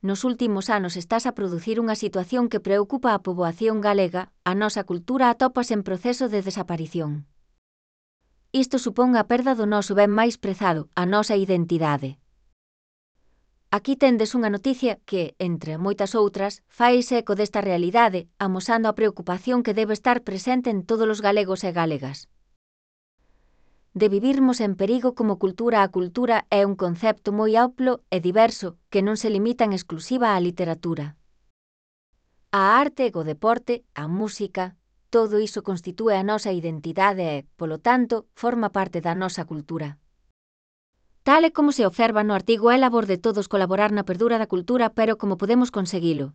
nos últimos anos estás a producir unha situación que preocupa a poboación galega, a nosa cultura atópase en proceso de desaparición. Isto supón a perda do noso ben máis prezado, a nosa identidade. Aquí tendes unha noticia que, entre moitas outras, faise eco desta realidade, amosando a preocupación que debe estar presente en todos os galegos e galegas. De vivirmos en perigo como cultura. A cultura é un concepto moi amplo e diverso que non se limita en exclusiva á literatura. A arte, o deporte, a música, todo iso constitúe a nosa identidade e, polo tanto, forma parte da nosa cultura. Tal e como se observa no artigo, é labor de todos colaborar na perdura da cultura, pero como podemos conseguilo?